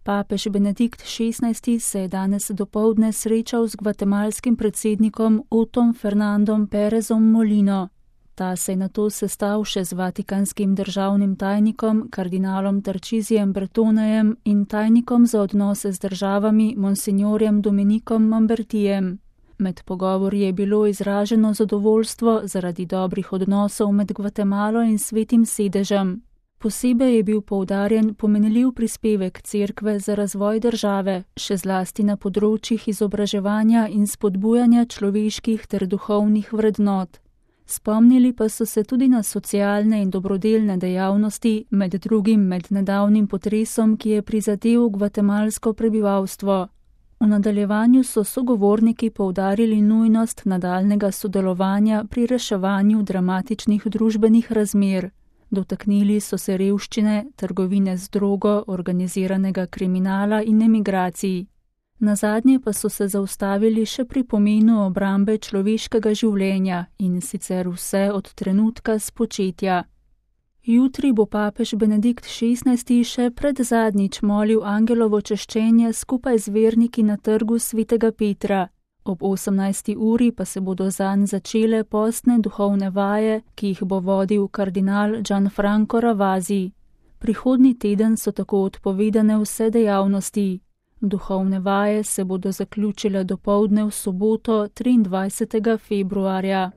Papež Benedikt XVI se je danes dopoldne srečal z gvatemalskim predsednikom Otom Fernandom Perezom Molino. Ta se je nato sestal še z vatikanskim državnim tajnikom, kardinalom Tarcisijem Bertonejem in tajnikom za odnose z državami, monsignorjem Dominikom Mambertijem. Med pogovori je bilo izraženo zadovoljstvo zaradi dobrih odnosov med Gvatemalo in Svetim sedežem. Posebej je bil poudarjen pomenljiv prispevek Cerkve za razvoj države, še zlasti na področjih izobraževanja in spodbujanja človeških ter duhovnih vrednot. Spomnili pa so se tudi na socialne in dobrodelne dejavnosti, med drugim med nedavnim potresom, ki je prizadel gvatemalsko prebivalstvo. V nadaljevanju so sogovorniki poudarili nujnost nadaljnega sodelovanja pri reševanju dramatičnih družbenih razmer. Dotaknili so se revščine, trgovine z drogo, organiziranega kriminala in emigracij. Nazadnje pa so se zaustavili še pri pomenu obrambe človeškega življenja in sicer vse od trenutka spočetja. Jutri bo papež Benedikt XVI še predzadnjič molil angelovo češčenje skupaj z verniki na trgu Svetega Petra. Ob 18. uri pa se bodo zanj začele postne duhovne vaje, ki jih bo vodil kardinal Gianfranco Ravasi. Prihodnji teden so tako odpovedane vse dejavnosti. Duhovne vaje se bodo zaključile dopoldne v soboto 23. februarja.